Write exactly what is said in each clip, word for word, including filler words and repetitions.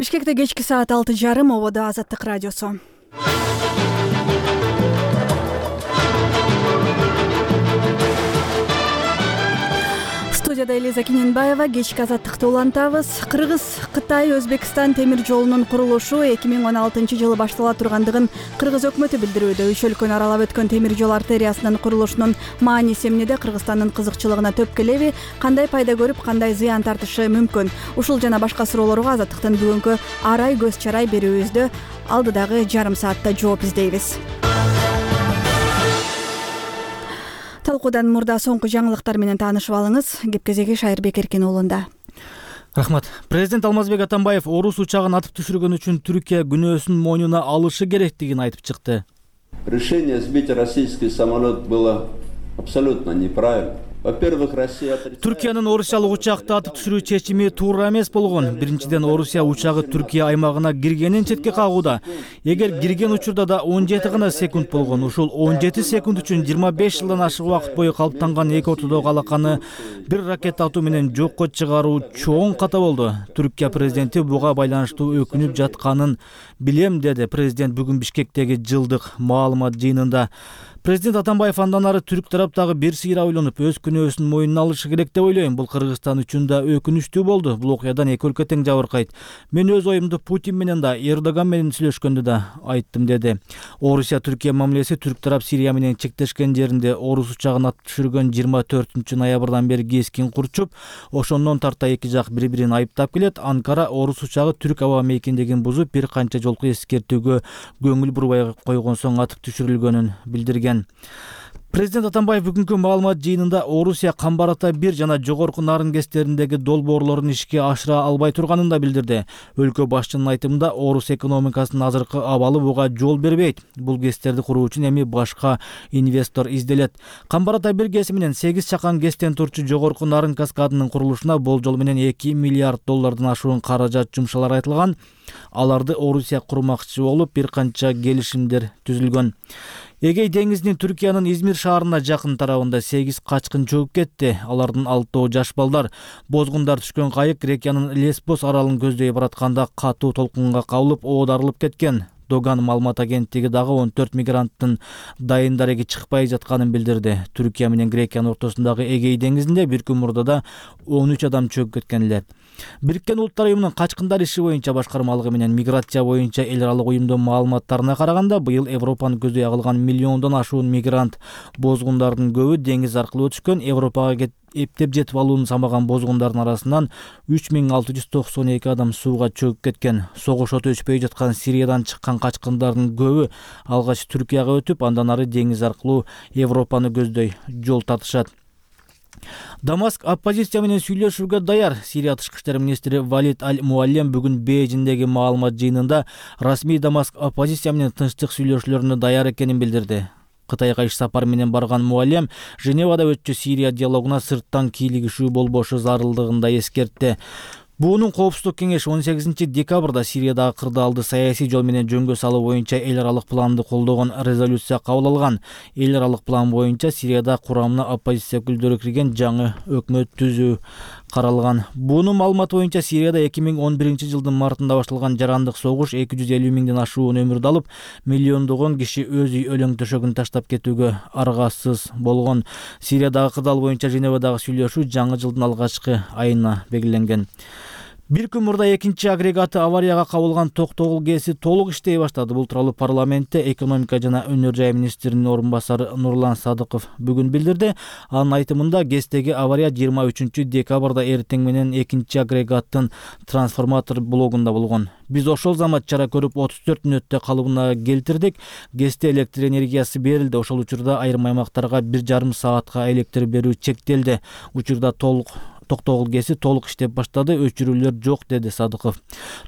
Бишкекте кечки саат алты жарым, ободо Азаттык радиосу. Студияда Элиза Киненбаева, кечки Азаттыкты улантабыз. Кыргыз, Кытай, Өзбекстан темир жолунун курулушу эки миң он алтынчы жылы баштала тургандыгын Кыргыз өкмөтү билдирүүдө. Үч өлкөнү аралап өткөн темир жол артериясынын курулушунун мааниси эмнеде, Кыргызстандын кызыкчылыгына төп келеби, кандай пайда көрүп, кандай зыян тартышы мүмкүн? Ушул жана башка суроолорго Азаттыктын бүгүнкү арай көз чарай берүүбүздө алдыдагы жарым саатта жооп издейбиз. Талкуудан мурда соңку жаңылыктар менен таанышып алыңыз. Кеп-кезеги Шайырбек Эркин уулунда. Рахмат. Президент Алмазбек Атамбаев орус учагын атып түшүргөн үчүн Түркия күнөөсүн мойнуна алышы керектигин айтып чыкты. Решение сбить российский самолет было абсолютно неправильно. Во-первых, Россия Түркиянын орусиялык учакты атып түшүрүү чечими туура эмес болгон. Биринчиден, Орусия учагы Түркия аймагына киргенин четке кагууда. Эгер кирген учурда да он жети гана секунд болгон, ушул он жети секунд үчүн жыйырма беш жылдан ашык убакыт бою калыптанган эки ортодогу алаканы бир ракета атуу менен жокко чыгаруу чоң ката болду. Түркия президенти буга байланыштуу өкүнүп жатканын билем, деди президент бүгүн Бишкектеги жылдык маалымат жыйынында. Президент Атамбаев андан ары түрк тараптагы бир сыйра ойлонуп, өз күнөөсүн мойнуна алышы керек деп ойлойм. Бул Кыргызстан үчүн да өкүнүчтүү болду. Бул окуядан эки өлкө тең жабыркайт. Мен өз оюмду Путин менен да, Эрдоган менен сүйлөшкөндө да айттым, деди. Орусия Түркия мамилеси түрк тарап Сирия менен чектешкен жеринде орус учагын атып түшүргөн жыйырма төртүнчү ноябрдан бери кескин курчуп, ошондон тарта эки жак бири-бирин айыптап келет. Анкара орус учагы түрк аба мейкиндигин бузуп, бир канча жолку эскертүүгө көңүл бурбай койгон соң атып түшүрүлгөнүн билдирген. Президент Атамбаев бүгүнкү маалымат жыйынында Орусия Камбар Ата бир жана жогорку Нарын кестериндеги долбоорлорун ишке ашыра албай турганын да билдирди. Өлкө башчынын айтымында, орус экономикасынын азыркы абалы буга жол бербейт. Бул кестерди куруу үчүн эми башка инвестор изделет. Камбар Ата бир кеси менен сегиз чакан кестен турчу жогорку Нарын каскадынын курулушуна болжол менен эки миллиард доллардан ашуун каражат жумшалар айтылган. Аларды Орусия курмакчы болуп, бир канча келишимдер түзүлгөн. Эгей деңизинин Түркиянын Измир шаарына жакын тарабында сегиз качкын чөгүп кетти. Алардын алтоо жаш балдар. Бозгундар түшкөн кайык Грекиянын Лесбос аралын көздөй баратканда катуу толкунга кабылып, оодарылып кеткен. Доган маалымат агенттиги дагы он төрт мигранттын дайын дареги чыкпай жатканын билдирди. Түркия менен Грекиянын ортосундагы Эгей деңизинде бир күн мурда да он үч адам чөгүп кеткен эле. Бириккен Улуттар уюмунун качкындар иши боюнча башкармалыгы менен миграция боюнча эл аралык уюмдун маалыматтарына караганда, быйыл Европаны көздөй агылган миллиондон ашуун мигрант, бозгундардын көбү деңиз аркылуу өтүшкөн. Европага эптеп жетип алууну самаган бозгундардын арасынан үч миң алты жүз токсон эки адам сууга чөгүп кеткен. Согуш оту өчпөй жаткан Сириядан чыккан качкындардын көбү алгач Түркияга өтүп, андан ары деңиз аркылуу Европаны көздөй жол тартышат. Дамаск оппозиция менен сүйлөшүүгө даяр. Сирия тышкы иштер министри Валид Аль-Муаллем бүгүн Бейжиңдеги маалымат жыйынында расмий Дамаск оппозиция менен тынчтык сүйлөшүүлөрүнө даяр экенин билдирди. Кытайга иш сапар менен барган Муаллем Женевада өтчү Сирия диалогуна сырттан кийлигишүү болбошу зарылдыгын да эскертти. Буунун коопсуздук кеңеши он сегизинчи декабрда Сириядагы кырдаалды саясий жол менен жөнгө салуу боюнча эл аралык планды колдогон резолюция кабыл алган. Эл аралык план боюнча Сирияда курамына оппозиция өкүлдөрү кирген жаңы өкмөт түзүү каралган. Буунун маалыматы боюнча Сирияда эки миң он биринчи жылдын мартында башталган жарандык согуш эки жүз элүү миңден ашуун өмүрдү алып, миллиондогон киши өз үй өлөң төшөгүн таштап кетүүгө аргасыз болгон. Сириядагы кырдаал боюнча Женевадагы сүйлөшүү жаңы жылдын алгачкы айына белгиленген. Бир күн мурда экинчи агрегаты аварияга кабылган токтогул ГЭСи толук иштей баштады. Бул тууралуу парламентте экономика жана өнөр жай министринин орун басары Нурлан Садыков бүгүн билдирди. Анын айтымында, ГЭСтеги авария жыйырма үчүнчү декабрда эртең менен экинчи агрегаттын трансформатор блогунда болгон. Биз ошол замат чара көрүп отуз төрт мүнөттө калыбына келтирдик. ГЭСте электр энергиясы берилди. Ошол учурда айрым аймактарга бир жарым саатка электр берүү чектелди. Учурда толук Токтогул ГЭСи толук иштеп баштады, өчүрүүлөр жок, деди Садыков.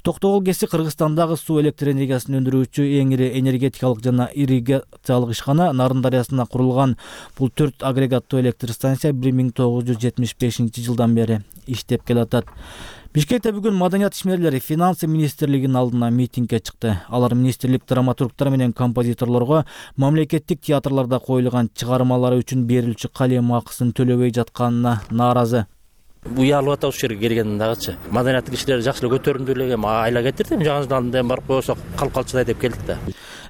Токтогул ГЭСи Кыргызстандагы суу электр энергиясын өндүрүүчү эң ири энергетикалык жана ирригациялык ишкана. Нарын дарыясына курулган бул төрт агрегаттуу электр станция бир миң тогуз жүз жетимиш бешинчи жылдан бери иштеп келатат. Бишкекте бүгүн маданият ишмерлери финансы министрлигинин алдына митингге чыкты. Алар министрлик драматургтар менен композиторлорго мамлекеттик театрларда коюлган чыгармалары үчүн берилчү калем акысын төлөбөй жатканына нааразы. уялып атабыз ушул жерге келгенден дагычы. Маданияттуу кишилер жакшы эле көтөрүмдүү эле айла кетирди. Жаңыдан барып койсок калып калчыдай деп келдик да.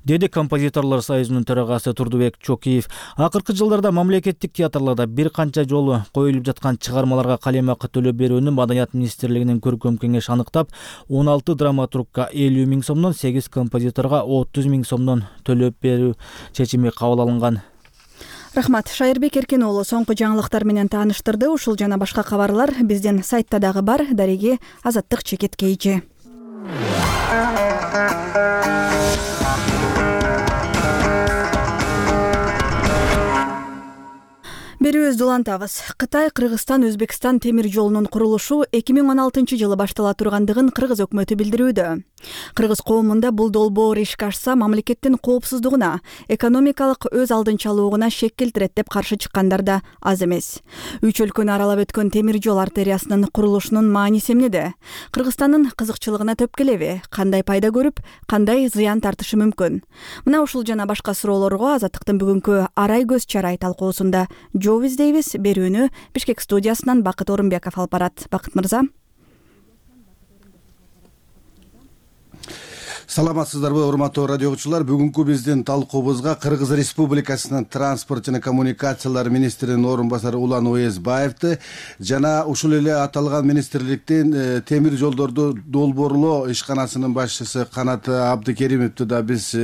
Деди композиторлор союзунун төрагасы Турдубек Чокиев. Акыркы жылдарда мамлекеттик театрларда бир канча жолу коюлуп жаткан чыгармаларга калем акы төлөп берүүнү Маданият министрлигинин көркөм кеңеши аныктап, он алты драматургка элүү миң сомдон, сегиз композиторго отуз миң сомдон төлөп берүү чечими кабыл алынган. Рахмат. Шайырбек Эркен уулу соңку жаңылыктар менен тааныштырды. Ушул жана башка кабарлар биздин сайтта дагы бар. Дареги Азаттык чекиткейчи. Берүүбүздү улантабыз. Кытай, Кыргызстан, Өзбекстан темир жолунун курулушу эки миң он алтынчы жылы баштала тургандыгын Кыргыз өкмөтү билдирүүдө. Кыргыз коомунда бул долбоор ишке ашса, мамлекеттин коопсуздугуна, экономикалык өз алдынчалуулугуна шек келтирет деп каршы чыккандар да аз эмес. Үч өлкөнү аралап өткөн темир жол артериясынын курулушунун мааниси эмнеде? Кыргызстандын кызыкчылыгына төп келеби? Кандай пайда көрүп, кандай зыян тартышы мүмкүн? Мына ушул жана башка суроолорго Азаттыктын бүгүнкү арай көз чарай талкуусунда жооп издейбиз. Берүүнү Бишкек студиясынан Бакыт Орунбеков алып барат. Бакыт мырза. Саламатсыздарбы, урматтуу радио угуучулар. Бүгүнкү биздин талкуубузга Кыргыз Республикасынын транспорт жана коммуникациялар министринин орун басары Улан Уезбаевди жана ушул эле аталган министрликтин темир жолдорду долбоорлоо ишканасынын башчысы Канат Абдыкеримовду да биз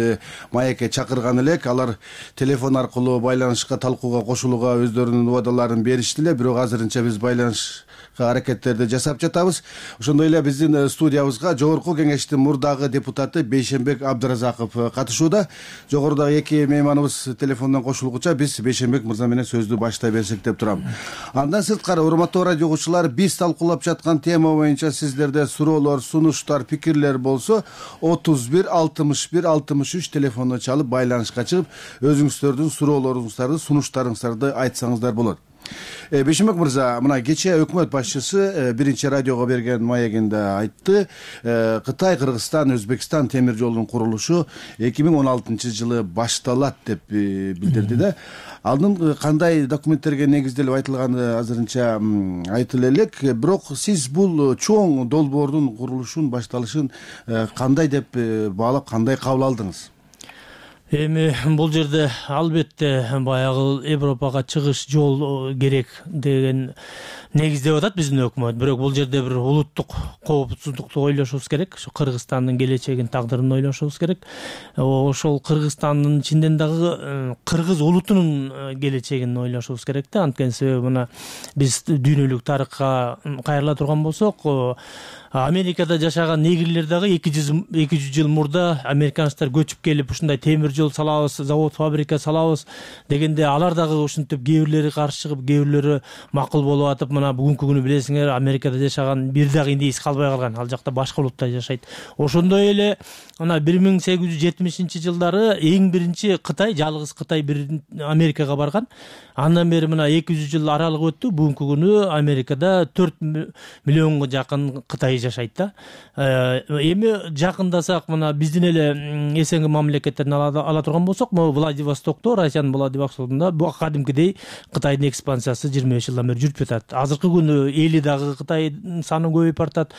маекке чакырган элек. Алар телефон аркылуу байланышка, талкууга кошулууга өздөрүнүн убадаларын беришти эле, бирок азырынча биз байланыш аракеттерди жасап жатабыз. Ошондой эле биздин студиябызга жогорку кеңештин мурдагы депутаты Бейшенбек Абдыразаков катышууда. Жогорудагы эки мейманыбыз телефондон кошулгуча биз Бейшенбек мырза менен сөздү баштай берсек деп турам. Андан сырткары, урматтуу радио угуучулар, биз талкуулап жаткан тема боюнча сиздерде суроолор, сунуштар, пикирлер болсо отуз бир алтымыш бир алтымыш үч телефонду чалып байланышка чыгып, өзүңүздөрдүн суроолоруңуздарды, сунуштарыңыздарды айтсаңыздар болот. Бейшенбек мырза, мына кечээ өкмөт башчысы биринчи радиого берген маегинде айтты, Кытай, Кыргызстан, Өзбекстан темир жолунун курулушу эки миң он алтынчы жылы башталат деп билдирди да. Алдын кандай документтерге негизделип айтылганы азырынча айтылы элек, бирок сиз бул чоң долбоордун курулушун башталышын кандай деп баалап, кандай кабыл алдыңыз? Эми бул жерде албетте баягы Европага чыгыш жол керек деген негиздеп атат биздин өкмөт. Бирок бул жерде бир улуттук коопсуздукту ойлошубуз керек. Ошо Кыргызстандын келечегин, тагдырын ойлошубуз керек. Ошол Кыргызстандын ичинен дагы кыргыз улутунун келечегин ойлошубуз керек да. Анткени себеби мына биз дүйнөлүк тарыхка кайрыла турган болсок, Америкада жашаган негрлер дагы эки жүз жыл мурда американецтер көчүп келип ушундай темир жол салабыз, завод, фабрика салабыз дегенде алар дагы ушинтип кээ бирлери каршы чыгып, кээ бирлери макул болуп атып, мына бүгүнкү күнү билесиңер, Америкада жашаган бир дагы индейс калбай калган. Ал жакта башка улуттар жашайт. Ошондой эле мына бир миң сегиз жүз жетимишинчи жылдары эң биринчи Кытай, жалгыз Кытай бир Америкага барган. Андан бери мына эки жүз жыл аралык өттү. Бүгүнкү күнү Америкада төрт миллионго жакын Кытай жашайт да. Эми жакындасак, мына биздин эле эсенги мамлекеттерин ала турган болсок, могу Владивостокто, Россиянын Владивостокунда бу кадимкидей Кытайдын экспансиясы жыйырма беш жылдан бери жүрүп жатат. Азыркы күнү эли дагы Кытайдын саны көбөйүп баратат.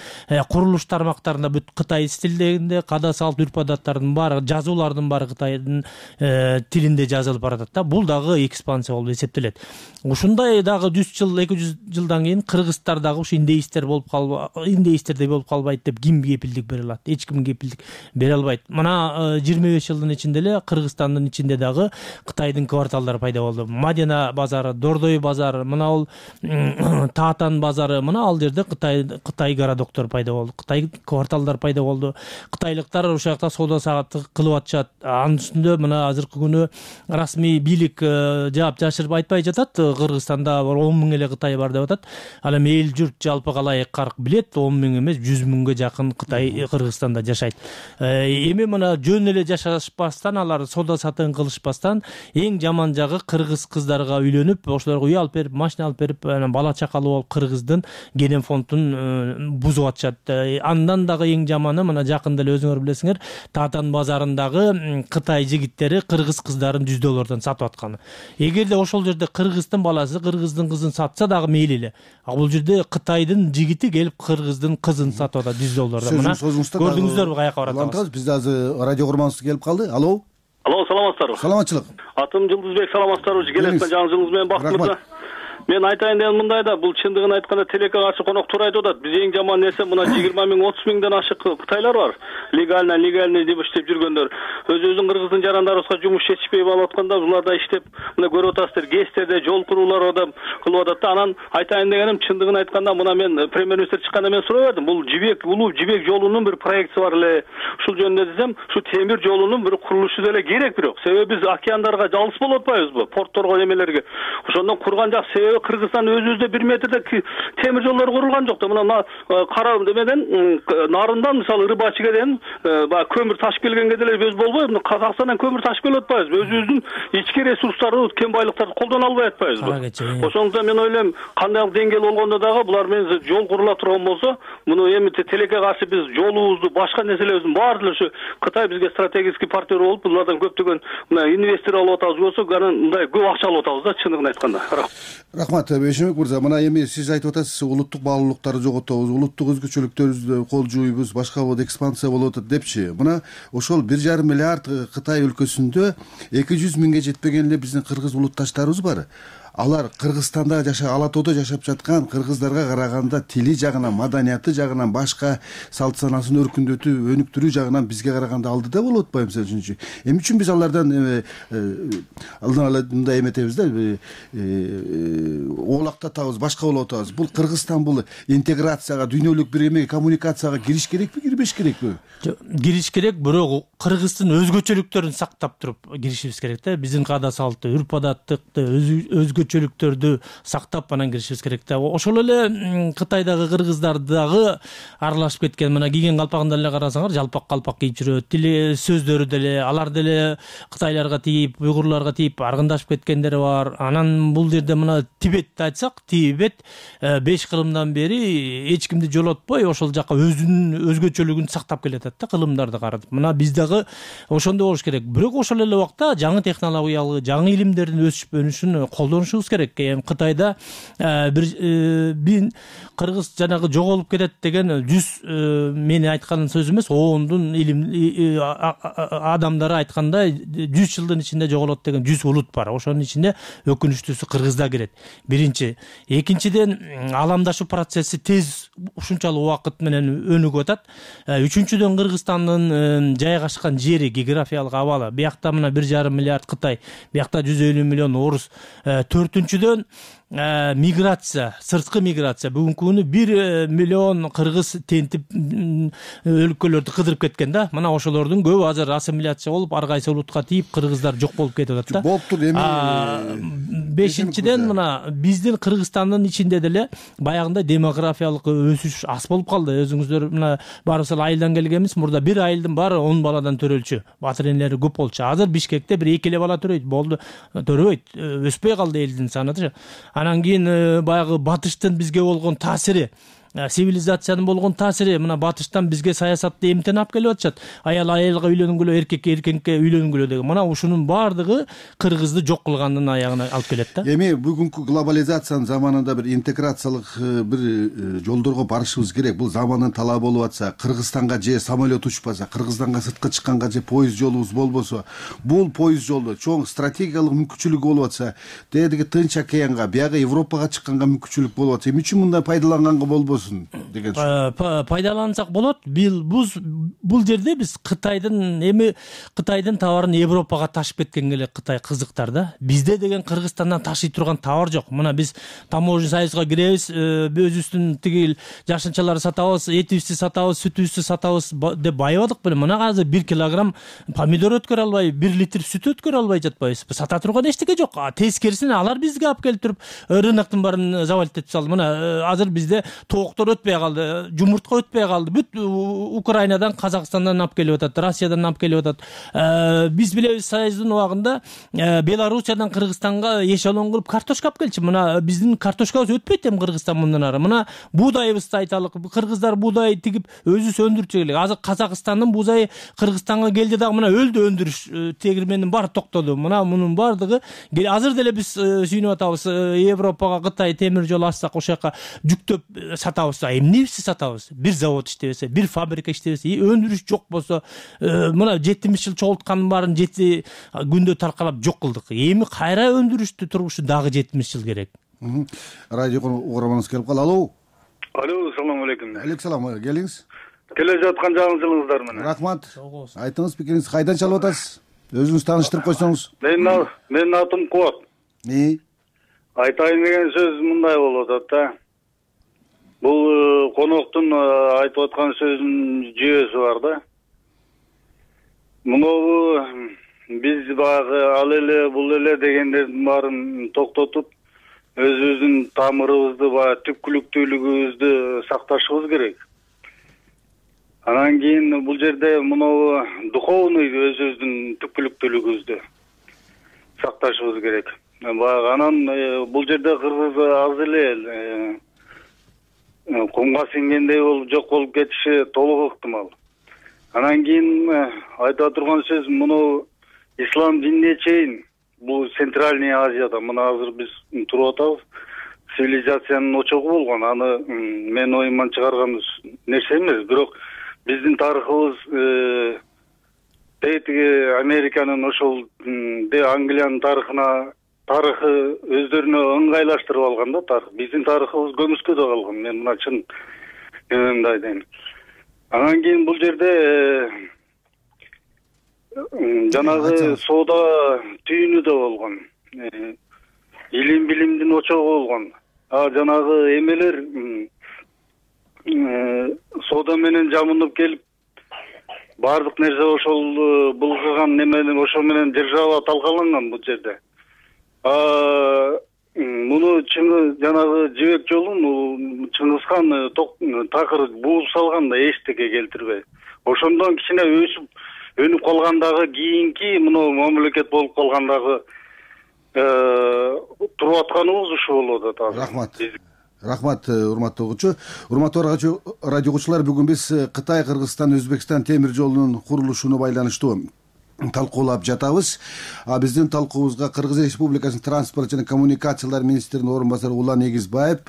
Курулуш тармактарында бүт Кытай стилдегинде, када салт үрп адаттардын баары, жазуулардын баары Кытайдын тилинде жазылып баратат да. Бул дагы экспансия болуп эсептелет. Ушундай дагы жүз жыл, эки жүз жылдан кийин кыргыздар дагы ушу индейстер болуп калып, индейстердей болуп калбайт деп ким кепилдик бере алат? Эч ким кепилдик бере албайт. Мына жыйырма беш жылдын ичинде эле Кыргызстандын ичинде дагы Кытайдын кварталдары пайда болду. Мадина базары, Дордой базары, мына ал Таатан базары, мына ал жерде Кытай Кытай городоктор пайда болду. Кытай кварталдар пайда болду. Кытайлыктар ошол жакта соода саатты кылып атышат. Анын үстүндө мына азыркы күнү расмий бийлик жаап жашырып айтпай жатат. Кыргызстанда он миң эле Кытай бар деп атат. Ал эми эл журт жалпы калай карк билет, он миң эмес, жүз миңге жакын Кытай Кыргызстанда жашайт. Эми мына жөн эле жашашпастан алар соода сатыгын кылышпастан эң жаман жагы кыргыз кыздарга үйлөнүп, ошолорго үй алып берип, машина алып берип, бала чакалуу болуп кыргыздын ген фондун бузуп атышат. Андан дагы эң жаманы мына жакында эле өзүңөр билесиңер, Татан базарындагы Кытай жигиттери кыргыз кыздарын жүз доллардан сатып атканы. Эгерде ошол жерде кыргыздын баласы кыргыздын кызын сатса дагы мейли эле. А бул жерде Кытайдын жигити келип кыргыздын кызын сатып атат жүз доллардан. Мына көрдүңүздөрбү каяка баратабыз? Бизде азыр радио курманыбыз келип калды. Алло. Алло, саламатсыздарбы? Саламатчылык. Атым Жылдызбек, саламатсыздарбы? Келесиң жаңы жылыңыз менен бактылык мырза. Мен айтайын деген мындай да, бул чындыгын айтканда телекке каршы конок туура айтып атат. Биз эң жаман нерсе мына жыйырма миң, отуз миңден ашык кытайлар бар. Легально, легальный деп иштеп жүргөндөр. Өзүбүздүн кыргыздын жарандарыбызга жумуш жетишпей болуп атканда, буларда иштеп, мына көрүп атасыздар, ГЭСтерде жол куруулар да кылып атат да. Анан айтайын дегеним, чындыгын айтканда, мына мен премьер-министр чыкканда мен сурап бердим. Бул Жибек, улуу Жибек жолунун бир проектиси бар эле. Ушул жөнүндө десем, ушу темир жолунун бир курулушу деле керек бирок. Себеби биз океандарга жалгыз болуп атпайбызбы? Портторго немелерге. Ошондон курган жак себеби Кыргызстан өзүбүздө бир метрде темир жолдор курулган жок да. Мына кара демеден нарындан мисалы Рыбачыга дейин баягы көмүр ташып келгенге деле өз болбой, мына Казакстандан көмүр ташып келип атпайбызбы? Өзүбүздүн ички ресурстарды, кен байлыктарды колдоно албай атпайбызбы? Ошондо мен ойлойм, кандай деңгээл болгондо дагы булар менен жол курула турган болсо, муну эми телекке каршы биз жолубузду, башка нерселерибиздин баары эле ушу Кытай бизге стратегический партнер болуп, булардан көптөгөн мына инвестор алып атабыз болсо, анан мындай көп акча алып атабыз да, чындыгын айтканда. Рахмат, Бейшембек мырза. Мына эми сиз айтып атасыз, улуттук баалуулуктарды жоготобуз, улуттук өзгөчөлүктөрүбүздү кол жууйбуз, башка болот, экспансия болуп атат депчи. Мына ошол бир жарым миллиард Кытай өлкөсүндө эки жүз миңге жетпеген эле биздин кыргыз улутташтарыбыз бар. Алар Кыргызстанда жаша, Ала тоодо жашап жаткан кыргыздарга караганда тили жагынан, маданияты жагынан, башка салт санасын өркүндөтүү, өнүктүрүү жагынан бизге караганда алдыда болуп атпайбы мисалы үчүнчү? Эмне үчүн биз алардан алдын ала мындай эметебиз да, оолактатабыз, башка болуп атабыз? Бул Кыргызстан бул интеграцияга, дүйнөлүк бир эме коммуникацияга кириш керекпи, кирбеш керекпи? Кириш керек, бирок Кыргыздын өзгөчөлүктөрүн сактап туруп киришибиз керек да. Биздин каада салты, үрп адаттыкты, өзгөчөлүктөрдү сактап анан киришибиз керек да. Ошол эле Кытайдагы кыргыздар дагы аралашып кеткен. Мына кийген калпагында эле карасаңар, жалпак калпак кийип жүрөт. Тили сөздөрү деле, алар деле Кытайларга тийип, уйгурларга тийип аргындашып кеткендери бар. Анан бул жерде мына Тибетти айтсак, Тибет беш кылымдан бери эч кимди жолотпой, ошол жака өзүнүн өзгөчөлүгүн сактап келатат да, кылымдарды каратып. Мына биз дагы ошондой болуш керек. Бирок ошол эле убакта жаңы технологиялык, жаңы илимдердин өсүп өнүшүн колдонушубуз керек. Эми Кытайда бир бин кыргыз жанагы жоголуп кетет деген жүз мени айткан сөз эмес, ондун илим адамдары айтканда жүз жылдын ичинде жоголот деген жүз улут бар. Ошонун ичинде өкүнүчтүүсү Кыргыз да кирет. Биринчи, экинчиден аламдашуу процесси тез ушунчалык убакыт менен өнүгүп атат. Үчүнчүдөн Кыргызстандын жайгашкан жери, географиялык абалы. Биякта мына бир жарым миллиард Кытай, биякта жүз элүү миллион орус. Төртүнчүдөн миграция, сырткы миграция. Бүгүнкү күнү бир миллион кыргыз тентип өлкөлөрдү кыдырып кеткен да. Мына ошолордун көбү азыр ассимиляция болуп, ар кайсы улутка тийип, кыргыздар жок болуп кетип атат да. Болуптур эми. Бешинчиден мына биздин Кыргызстандын ичинде деле баягындай демографиялык өсүш аз болуп калды. Өзүңүздөр мына барыбыз айылдан келгенбиз. Мурда бир айылдын баары он баладан төрөлчү. Батыр энелери көп болчу. Азыр Бишкекте бир эки эле бала төрөйт. Болду, төрөбөйт. Өспөй калды элдин санаты. Анан кийин баягы батыштын бизге болгон таасири, цивилизациянын болгон таасири, мына батыштан бизге саясатты эмтен алып келип атышат. Аял аялга үйлөнгүлө, эркек эркекке үйлөнгүлө деген. Мына ушунун баардыгы кыргызды жок кылгандын аягына алып келет да. Эми бүгүнкү глобализациянын заманында бир интеграциялык бир жолдорго барышыбыз керек. Бул замандын талабы болуп атса, Кыргызстанга же самолет учпаса, Кыргызстанга сыртка чыкканга же поезд жолубуз болбосо, бул поезд жолдо чоң стратегиялык мүмкүнчүлүк болуп атса, тетиги Тынч океанга, бияга Европага чыкканга мүмкүнчүлүк болуп атса, эмне үчүн мындай пайдаланганга болбосун? Деген пайдалансак болот. Бул жерде биз Кытайдын эми Кытайдын товарын Европага ташып кеткенге эле Кытай кызыктар да. Бизде деген Кыргызстандан ташый турган товар жок. Мына биз таможня союзга киребиз, өзүбүздүн тигил жашынчаларды сатабыз, этибизди сатабыз, сүтүбүздү сатабыз деп байыбадык беле. Мына азыр бир килограмм помидор өткөрө албай, бир литр сүт өткөрө албай жатпайбыз. Сата турган эчтеке жок. Тескерисине алар бизге алып келип туруп рыноктун баарын завалить этип салды. Мына азыр бизде тоок токтор өтпөй калды, жумуртка өтпөй калды. Бүт Украинадан, Казакстандан алып келип атат, Россиядан алып келип атат. Биз билебиз, Союздун убагында Белоруссиядан Кыргызстанга эшелон кылып картошка алып келчү. Мына биздин картошкабыз өтпөйт эми Кыргызстан мындан ары. Мына буудайыбызды айталык. Кыргыздар буудай тигип өзүбүз өндүрчү элек. Азыр Казакстандын буузайы Кыргызстанга келди дагы мына өлдү өндүрүш тегирменин баары токтоду. Мына мунун баардыгы азыр деле биз сүйүнүп атабыз. Европага Кытай темир жол ачсак, ошол жака жүктөп сатабыз. Эмнебизди сатабыз? Бир завод иштебесе, бир фабрика иштебесе, өндүрүш жок болсо, мына жетимиш жыл чогулткандын баарын жети күндө таркалап жок кылдык. Эми кайра өндүрүштү турмушу дагы жетимиш жыл керек. Радио угурманыбыз келип калды. Алло. Алло, assalomu alaykum. Алейкум салам. Келиңиз. Келе жаткан жаңылыгыңыздар менен. Рахмат. Айтыңыз пикириңизди, кайдан чалып атасыз? Өзүңүз тааныштырып койсоңуз. Мен менин атым Куат. И айтайын деген сөз мындай болуп атат да. Бул коноктун айтып аткан сөзүнүн жүйөсү бар да. Мунобу биз баягы ал эле бул эле дегендердин баарын токтотуп, өзүбүздүн тамырыбызды, баягы түпкүлүктүүлүгүбүздү сакташыбыз керек. Анан кийин бул жерде мунобу духовный өзүбүздүн түпкүлүктүүлүгүбүздү сакташыбыз керек. Баягы анан бул жерде кыргыз аз эле кумга сиңгендей болуп жок болуп кетиши толук ыктымал. Анан кийин айтып турган сөз муну ислам динине чейин бул Центральный Азияда мына азыр биз туруп атабыз. Цивилизациянын очогу болгон. Аны мен оюман чыгарган нерсе эмес, бирок биздин тарыхыбыз тетиги Американын ошол Англиянын тарыхына тарыхы өздөрүнө ыңгайлаштырып алган да тарых. Биздин тарыхыбыз көмүскөдө калган. Мен мына чын эмемди айтайын. Анан кийин бул жерде жанагы соода түйүнү да болгон. Илим билимдин очогу болгон. А жанагы эмелер соода менен жамынып келип баардык нерсе ошол булгаган неменен ошо менен держава талкаланган бул жерде. А муну чыңгы жанагы жибек жолун Чыңгызхан такыр бууп салган да эчтеке келтирбей. Ошондон кичине өсүп өнүп калгандагы кийинки муну мамлекет болуп калгандагы туруп атканыбыз ушу болуп атат. Рахмат. Рахмат, урматтуу угуучу. Урматтуу радио угуучулар, бүгүн биз Кытай, Кыргызстан, Өзбекстан темир жолунун курулушуна байланыштуу талкуулап жатабыз. А биздин талкуубузга Кыргыз Республикасынын транспорт жана коммуникациялар министринин орун басары Улан Эгизбаев,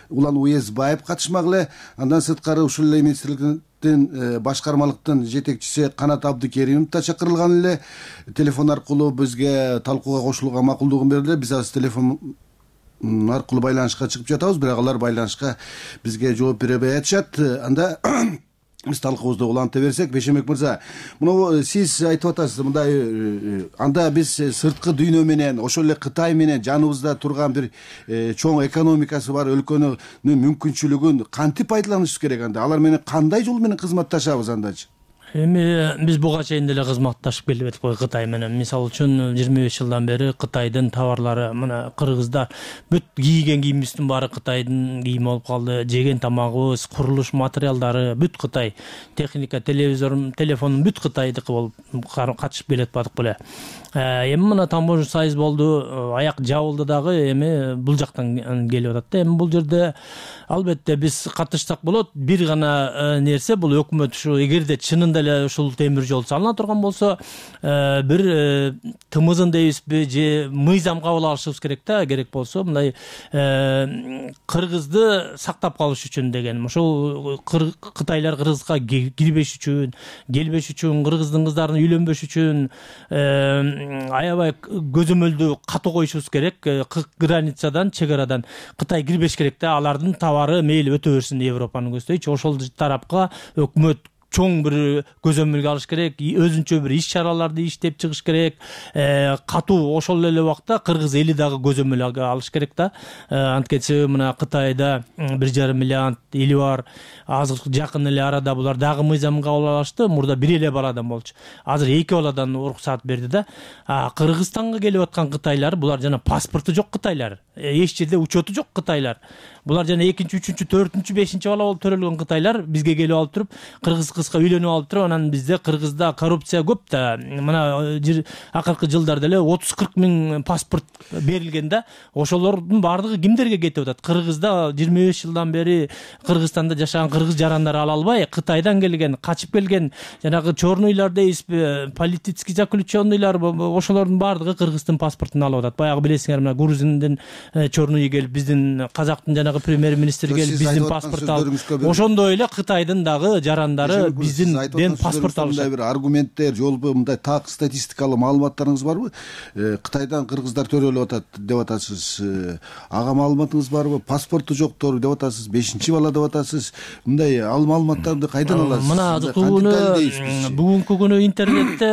Улан Уезбаев катышмак эле. Андан сырткары ушул эле министрликтин башкармалыктын жетекчиси Канат Абдыкеримов да чакырылган эле. Телефон аркылуу бизге талкууга кошулууга макулдугун берди. Биз азыр телефон аркылуу байланышка чыгып жатабыз, бирок алар байланышка бизге жооп бербей атышат. Анда биз талкуубузду уланта берсек, Бешемек мырза, муну сиз айтып атасыз, мындай анда биз сырткы дүйнө менен, ошол эле Кытай менен жаныбызда турган бир чоң экономикасы бар өлкөнүн мүмкүнчүлүгүн кантип пайдаланышыбыз керек анда? Алар менен кандай жол менен кызматташабыз андачы? Эми биз буга чейин деле кызматташып келип атып кой Кытай менен. Мисалы үчүн жыйырма беш жылдан бери Кытайдын товарлары, мына кыргыздар бүт кийген кийимибиздин баары Кытайдын кийими болуп калды. Жеген тамагыбыз, курулуш материалдары бүт Кытай. Техника, телевизор, телефон бүт Кытайдыкы болуп катышып келет бадык беле. Эми мына таможня союз болду, аяк жабылды дагы, эми бул жактан келип атат да. Эми бул жерде албетте биз катышсак болот. Бир гана нерсе бул өкмөт ушу эгерде чынында ушул темир жол салына турган болсо, бир тымызын дейбизби же мыйзам кабыл алышыбыз керек да, керек болсо мындай кыргызды сактап калыш үчүн деген. Ошол Кытайлар кыргызга кирбеш үчүн, келбеш үчүн, кыргыздын кыздарын үйлөнбөш үчүн аябай көзөмөлдү катуу коюшубуз керек. Границадан, чек арадан Кытай кирбеш керек да, алардын товары мейли өтө берсин Европаны көздөйчү. Ошол тарапка өкмөт чоң бир көзөмөлгө алыш керек, өзүнчө бир иш чараларды иштеп чыгыш керек. Катуу ошол эле убакта кыргыз эли дагы көзөмөл алыш керек да. Анткени мына Кытайда бир жарым миллиард эли бар. Азыр жакын эле арада булар дагы мыйзам кабыл алышты. Мурда бир эле баладан болчу. Азыр эки баладан уруксат берди да. Кыргызстанга келип аткан кытайлар, булар жана паспорту жок кытайлар. Эч жерде учету жок кытайлар. Булар жана экинчи, үчүнчү, төртүнчү, бешинчи бала болуп төрөлгөн кытайлар бизге келип алып туруп, кыргыз кызга үйлөнүп алып туруп, анан бизде Кыргызда коррупция көп да. Мына акыркы жылдарда эле отуз кырк миң паспорт берилген да. Ошолордун баардыгы кимдерге кетип атат? Кыргызда жыйырма беш жылдан бери Кыргызстанда жашаган кыргыз жарандар ала албай, Кытайдан келген, качып келген жанагы чорнуйлар дейсизби, политический заключенныйлар, ошолордун баардыгы Кыргыздын паспортун алып атат. Баягы билесиңер, мына Грузиндин чорнуйу келип, биздин казактын жанагы премьер-министр келип биздин паспорт алып, ошондой эле Кытайдын дагы жарандары биздин паспорт алышат. Бир аргументтер, жолбу мындай так статистикалык маалыматтарыңыз барбы? Кытайдан кыргыздар төрөлүп атат деп атасыз. Ага маалыматыңыз барбы? Паспорту жоктор деп атасыз, бешинчи бала деп атасыз. Мындай ал маалыматтарды кайдан аласыз? Мына азыркы бүгүнкү күнү интернетте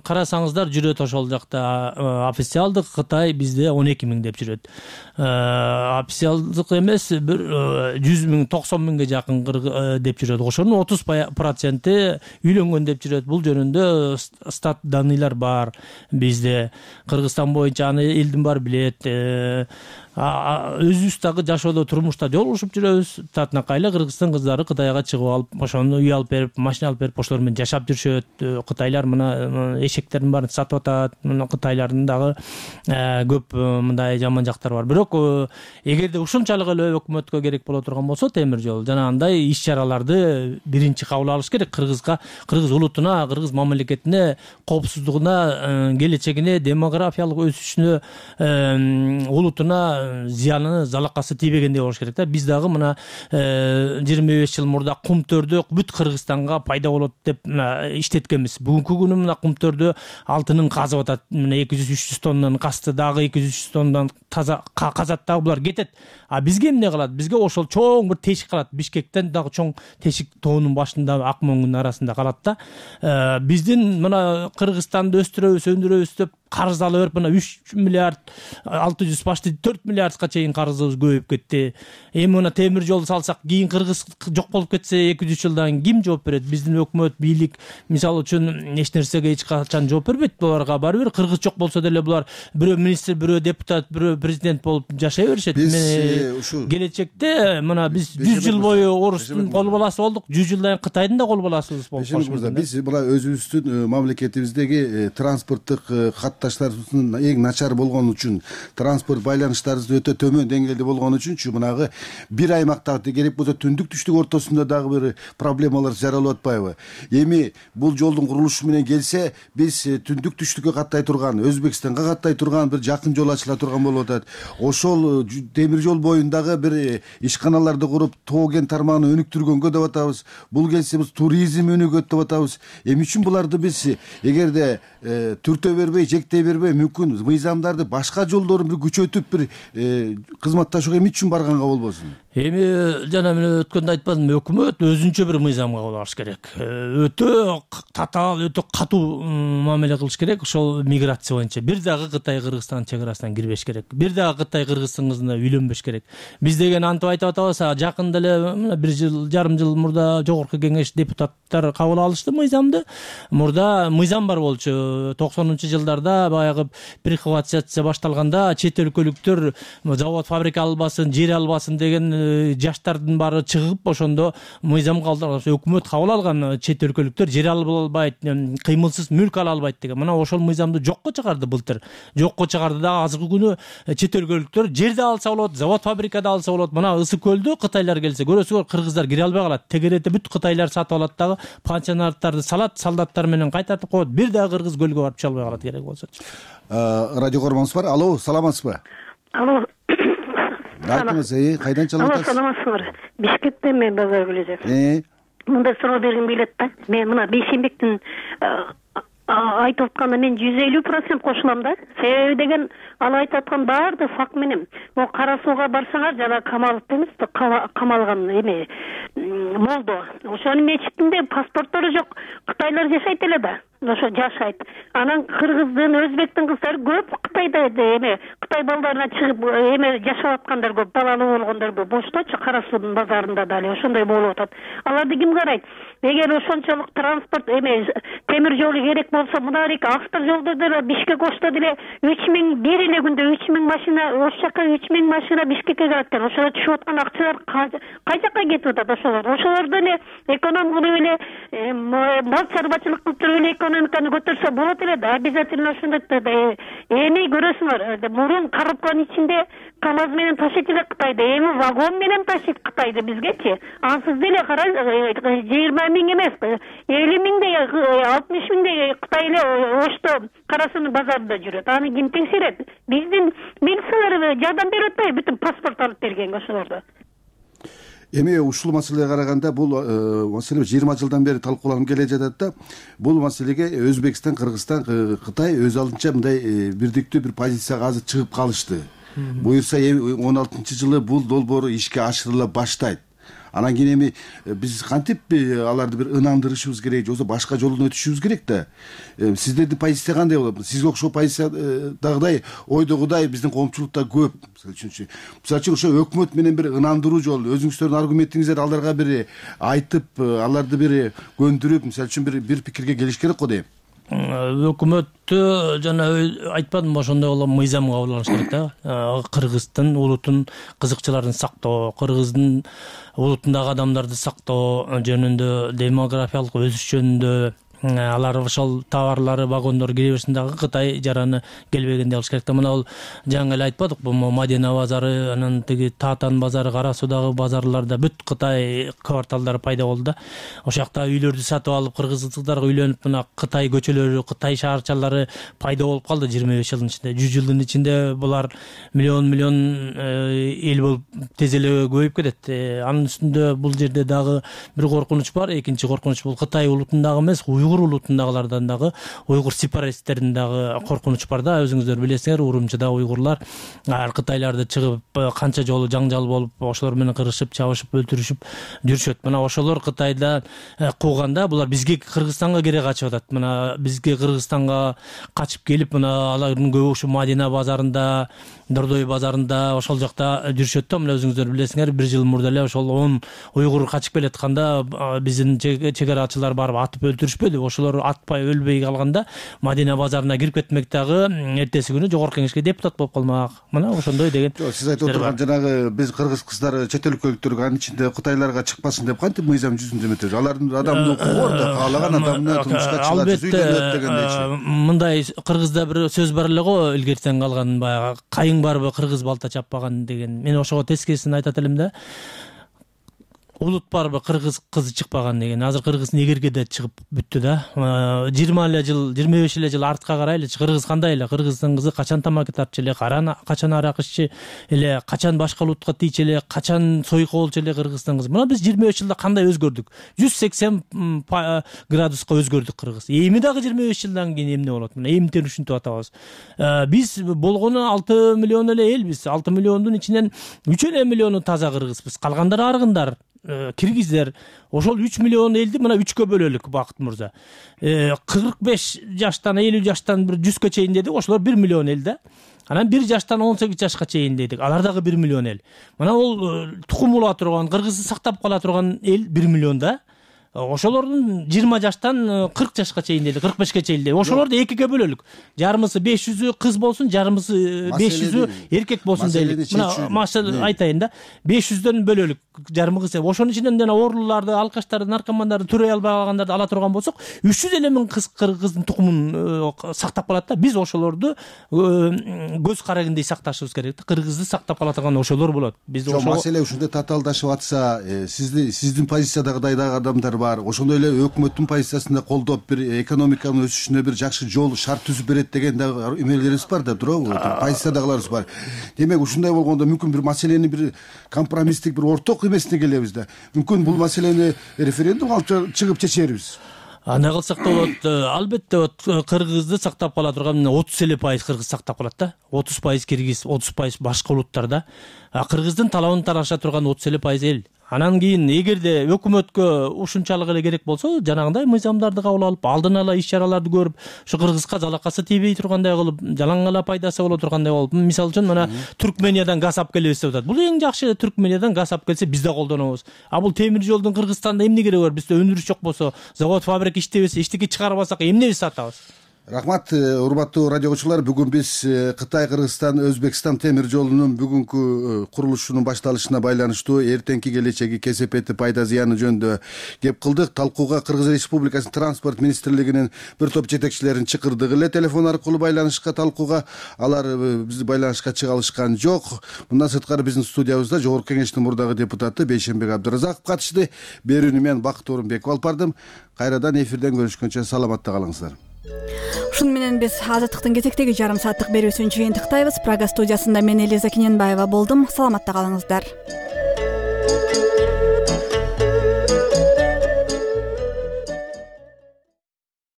карасаңыздар жүрөт, ошол жакта официалдык Кытай бизде он эки миң деп жүрөт. Официалдык эмес бир жүз миң, токсон миңге жакын деп жүрөт. Ошонун отуз проценти үйлөнгөн деп жүрөт. Бул жөнүндө стат даныйлар бар бизде. Кыргызстан боюнча аны элдин баары билет. Өзүбүз дагы жашоодо, турмушта жолугушуп жүрөбүз. Татынакайлы кыргыздын кыздары Кытайга чыгып алып, ошону үй алып берип, машина алып берип, ошолор менен жашап жүрүшөт. Кытайлар мына эшектердин баарын сатып атат. Мына кытайлардын дагы көп мындай жаман жактары бар. Бирок эгерде ушунчалык эле өкмөткө керек боло турган болсо, темир жол жана андай иш чараларды биринчи кабыл алыш керек. Кыргызга, кыргыз улутуна, кыргыз мамлекетине, коопсуздугуна, келечегине, демографиялык өсүшүнө, улутуна зыяны, залакасы тийбегендей болуш керек да. Биз дагы мына жыйырма беш жыл мурда кумтөрдө бүт Кыргызстанга пайда болот деп иштеткенбиз. Бүгүнкү күнү мына кумтөрдө алтынын казып атат. Мына эки жүз үч жүз тоннадан касты, дагы эки жүз үч жүз тоннадан таза казат, дагы булар кетет. А бизге эмне калат? Бизге ошол чоң бир тешик калат. Бишкектен дагы чоң тешик тоонун башында, ак моңдун арасында калат да. Биздин мына Кыргызстанды өстүрөбүз, өндүрөбүз деп карыз ала берип, мына үч миллиард алты жүз, башты төрт миллиардга чейин карызыбыз көбөйүп кетти. Эми мына темир жол салсак, кийин Кыргыз жок болуп кетсе эки жүз жылдан ким жооп берет? Биздин өкмөт, бийлик мисалы үчүн эч нерсеге эч качан жооп бербейт. Буларга баары бир кыргыз жок болсо деле булар бирөө министр, бирөө депутат, бирөө президент болуп жашай беришет. Келечекте мына биз жүз жыл бою орустун кол баласы болдук, жүз жылдан Кытайдын да кол баласыбыз болуп калышыбыз. Биз мына өзүбүздүн мамлекетибиздеги транспорттук катташтарыбыздын эң начар болгон үчүн, транспорт байланыштарыбыз өтө төмөн деңгээлде болгон үчүнчү мынагы бир аймакта керек болсо түндүк түштүк ортосунда дагы бир проблемалар жаралып атпайбы? Эми бул жолдун курулушу менен келсе, биз түндүк түштүккө каттай турган, Өзбекстанга каттай турган бир жакын жол ачыла турган болуп атат. Ошол темир жол боюндагы бир ишканаларды куруп, тоо кен тармагын өнүктүргөнгө деп атабыз. Бул келсе биз туризм өнүгөт деп атабыз. Эми үчүн буларды биз эгерде түртө бербей, жектей бербей, мүмкүн мыйзамдарды башка жолдорун бир күчөтүп бир кызматташууга эми үчүн барганга болбосун? Эми жана мен өткөндө айтпадымбы, өкмөт өзүнчө бир мыйзам кабыл алыш керек. Өтө татаал, өтө катуу мамиле кылыш керек. Ошол миграция боюнча бир дагы Кытай Кыргызстан чек арасынан кирбеш керек. Бир дагы Кытай Кыргыздын кызына үйлөнбөш керек. Биз деген антип айтып атабыз, жакында эле бир жыл, жарым жыл мурда жогорку кеңеш депутаттар кабыл алышты мыйзамды. Мурда мыйзам бар болчу. токсонунчу жылдарда баягы прихватизация башталганда чет өлкөлүктөр завод, фабрика албасын, жер албасын деген жаштардын баары чыгып, ошондо мыйзам кабыл өкмөт кабыл алган. Чет өлкөлүктөр жер ала албайт, кыймылсыз мүлк ала албайт деген. Мына ошол мыйзамды жокко чыгарды былтыр. Жокко чыгарды да азыркы күнү чет өлкөлүктөр жерде алса болот, завод, фабрикада алса болот. Мына Ысык көлдө Кытайлар келсе, көрөсүңөр, кыргыздар кире албай калат. Тегеретте бүт Кытайлар сатып алат дагы, пансионаттарды салат, солдаттар менен кайтартып коет. Бир дагы кыргыз көлгө барып чыга албай калат керек болсочу. Радио көрмөңүз бар. Алло, саламатсызбы? Алло. Айтыңыз, кайдан чалып атасыз? Алло, саламатсызбы? Бишкектен мен Базар Гүлөзөв. Э? Мында суроо бергим келет да. Мен мына Бейшенбектин айтып атканына мен жүз элүү процент кошулам да. Себеби деген ал айтып аткан баардык факт менен. Могу Кара Сууга барсаңар, жана Камалов эмес, камалган эме болду. Ошонун мечитинде паспорттору жок кытайлар жашайт эле да. Ошо жашайт. Анан кыргыздын, өзбектин кыздары көп Кытайда эме Кытай балдарына чыгып эме жашап аткандар көп, балалуу болгондор көп. Бошточу Кара Суунун базарында дали ошондой болуп атат. Аларды ким карайт? Эгер ошончолук транспорт эме темир жолу керек болсо, мынарик автор жолдо деле Бишкек Ошто деле үч миң бир эле күндө үч миң машина, ош жака үч миң машина Бишкекке келет экен. Ошого түшүп аткан акчалар кай жака кетип атат ошолор? Ошолор деле эконом кылып эле, мал чарбачылык кылып туруп эле экономиканы көтөрсө болот эле да. Обязательно ошондой эми көрөсүңөр. Мурун коробканын ичинде КамАЗ менен ташыйт эле Кытайда, эми вагон менен ташыйт Кытайды бизгечи. Ансыз деле карай жыйырма миң эмес, элүү миңдей, алтымыш миңдей Кытай эле Ошто Кара Суунун базарында жүрөт. Аны ким текшерет? Биздин милициялар жардам берип атпайбы бүтүн паспорт алып бергенге ошолорду? Эми ушул маселеге караганда бул маселе жыйырма жылдан бери талкууланып келе жатат да. Бул маселеге Өзбекстан, Кыргызстан, Кытай өз алдынча мындай бирдиктүү бир позицияга азыр чыгып калышты. Буюрса он алтынчы жылы бул долбоор ишке ашырыла баштайт. Анан кийин эми биз кантип аларды бир ынандырышыбыз керек, же болбосо башка жолдон өтүшүбүз керек да. Сиздердин позиция кандай болот? Сизге окшоо позициядагыдай, ойдогудай биздин коомчулукта көп. Мисалы үчүн, мисалы үчүн ошо өкмөт менен бир ынандыруу жолу, өзүңүздөрдүн аргументиңиздерди аларга бир айтып, аларды бир көндүрүп, мисалы үчүн бир бир пикирге келиш керек го дейм. Өкмөттү жана айтпадымбы ошондой боло мыйзам кабыл алыш керек да. Кыргыздын улутун, кызыкчыларын сактоо, кыргыздын улутундагы адамдарды сактоо жөнүндө, демографиялык өсүш жөнүндө, алар ошол товарлары, вагондор кире берсин дагы Кытай жараны келбегенде алыш керек да. Мына бул жаңы эле айтпадыкпы, Мадина базары, анан тиги Таатан базары, Кара Суудагы базарларда бүт Кытай кварталдары пайда болду да. Ошол жакта үйлөрдү сатып алып, кыргыз кыздарга үйлөнүп, мына Кытай көчөлөрү, Кытай шаарчалары пайда болуп калды жыйырма беш жылдын ичинде. жүз жылдын ичинде булар миллион миллион эл болуп тез эле көбөйүп кетет. Анын үстүндө бул жерде дагы бир коркунуч бар. Экинчи коркунуч бул Кытай улутундагы эмес, уйгур улутундагылардан дагы, уйгур сепаратисттеринин дагы коркунуч бар да. Өзүңүздөр билесиңер, Урумчыда уйгурлар Кытайларды чыгып канча жолу жаңжал болуп, ошолор менен кырышып, чабышып, өлтүрүшүп жүрүшөт. Мына ошолор Кытайда кууганда булар бизге Кыргызстанга кере качып атат. Мына бизге Кыргызстанга качып келип, мына алардын көбү ушу Мадина базарында, Дордой базарында ошол жакта жүрүшөт да. Мына өзүңүздөр билесиңер, бир жыл мурда эле ошол он уйгур качып келатканда биздин чегарачылар барып атып өлтүрүшпөдү. Ошолор атпай, өлбөй калганда Мадина базарына кирип кетмек дагы эртеси күнү жогорку кеңешке депутат болуп калмак. Мына ошондой деген. Жок, сиз айтып отурган жанагы биз кыргыз кыздары чет өлкөлүктөр анын ичинде Кытайларга чыкпасын деп кантип мыйзам жүзүндө эметебиз? Алардын адамдын укугу бар да, каалаган адамына турмушка чыгат, үйлөнөт дегендейчи. Мындай кыргызда бир сөз бар эле го, илгертен калган, баягы кайың барбы кыргыз балта чаппаган деген. Мен ошого тескерисин айтат элем да. Улут барбы кыргыз кызы чыкпаган деген. Азыр кыргыз негерге да чыгып бүттү да. жыйырма эле жыл, жыйырма беш эле жыл артка карайлычы, кыргыз кандай эле? Кыргыздын кызы качан тамак тартчу эле, качан арак иччи эле, качан башка улутка тийчү эле, качан сойку болчу эле кыргыздын кызы. Мына биз жыйырма беш жылда кандай өзгөрдүк? жүз сексен градуска өзгөрдүк кыргыз. Эми дагы жыйырма беш жылдан кийин эмне болот? Мына эмтен ушинтип атабыз. Биз болгону алты миллион эле элбиз. алты миллиондун ичинен үч эле миллиону таза кыргызбыз. Калгандары аргындар. Киргиздер. Ошол үч миллион элди мына үчкө бөлөлүк, Бакыт мырза. кырк беш жаштан элүү жаштан бир жүзгө чейин дедик, ошолор бир миллион эл да. Анан бир жаштан он сегиз жашка чейин дедик. Алар дагы бир миллион эл. Мына ол тукум ула турган, кыргызды сактап кала турган эл бир миллион да. Ошолордун жыйырма жаштан кырк жашка чейин деди, кырк бешке чейин деди. Ошолорду экиге бөлөлүк. Жарымысы беш жүзү кыз болсун, жарымысы беш жүзү эркек болсун дейлик. Мына машал айтайын да. беш жүздөн бөлөлүк, жарымы кыз. Ошонун ичинен жана ооруларды, алкаштарды, наркомандарды, төрөй албай калгандарды ала турган болсок, үч жүз элүү миң кыз кыргыздын тукумун сактап калат да. Биз ошолорду көз карагындай сакташыбыз керек да. Кыргызды сактап кала турган ошолор болот. Биз ошол маселе ушундай татаалдашып атса, сиздин сиздин позициядагыдай дагы адамдар бар. Ошондой эле өкмөттүн позициясында колдоп, бир экономиканын өсүшүнө бир жакшы жол, шарт түзүп берет деген дагы эмелерибиз бар да, туурабы? Позициядагыларыбыз бар. Демек, ушундай болгондо мүмкүн бир маселени бир компромисстик, бир орток эмесине келебиз да. Мүмкүн бул маселени референдум алып чыгып чечербиз. Андай кылсак да болот. Албетте кыргызды сактап кала турган отуз эле пайыз кыргыз сактап калат да. отуз пайыз киргиз, отуз пайыз башка улуттарда. Кыргыздын талабын тараша турган отуз эле пайыз эл. Анан кийин эгерде өкмөткө ушунчалык эле керек болсо, жанагындай мыйзамдарды кабыл алып, алдын ала иш-чараларды көрүп, ушу кыргызга жалакасы тийбей тургандай кылып, жалаң гана пайдасы боло тургандай болуп, мисалы үчүн мына Түркмениядан газ алып келебиз деп атат. Бул эң жакшы, Түркмениядан газ алып келсе биз да колдонобуз. А бул темир жолдун Кыргызстанда эмне кереги бар? Бизде өндүрүш жок болсо, завод, фабрика иштебесе, эчтеке чыгарбасак эмне биз сатабыз? Рахмат, урматтуу радио окуучулар. Бүгүн биз Кытай, Кыргызстан, Өзбекстан темир жолунун бүгүнкү курулушунун башталышына байланыштуу эртеңки келечеги, кесепети, пайда зыяны жөнүндө кеп кылдык. Талкууга Кыргыз Республикасынын транспорт министрлигинин бир топ жетекчилерин чакырдык эле телефон аркылуу байланышка, талкууга. Алар бизди байланышка чыга алышкан жок. Мындан сырткары биздин студиябызда Жогорку Кеңештин мурдагы депутаты Бейшенбек Абдыразаков катышты. Берүүнү мен Бакыт Орунбеков алып бардым. Кайрадан эфирден көрүшкөнчө саламатта калыңыздар. Ушуну менен биз Азаттыктын кезектеги жарым сааттык берүүсүн жыйынтыктайбыз. Прага студиясында мен Элиза Киненбаева болдум. Саламатта калыңыздар.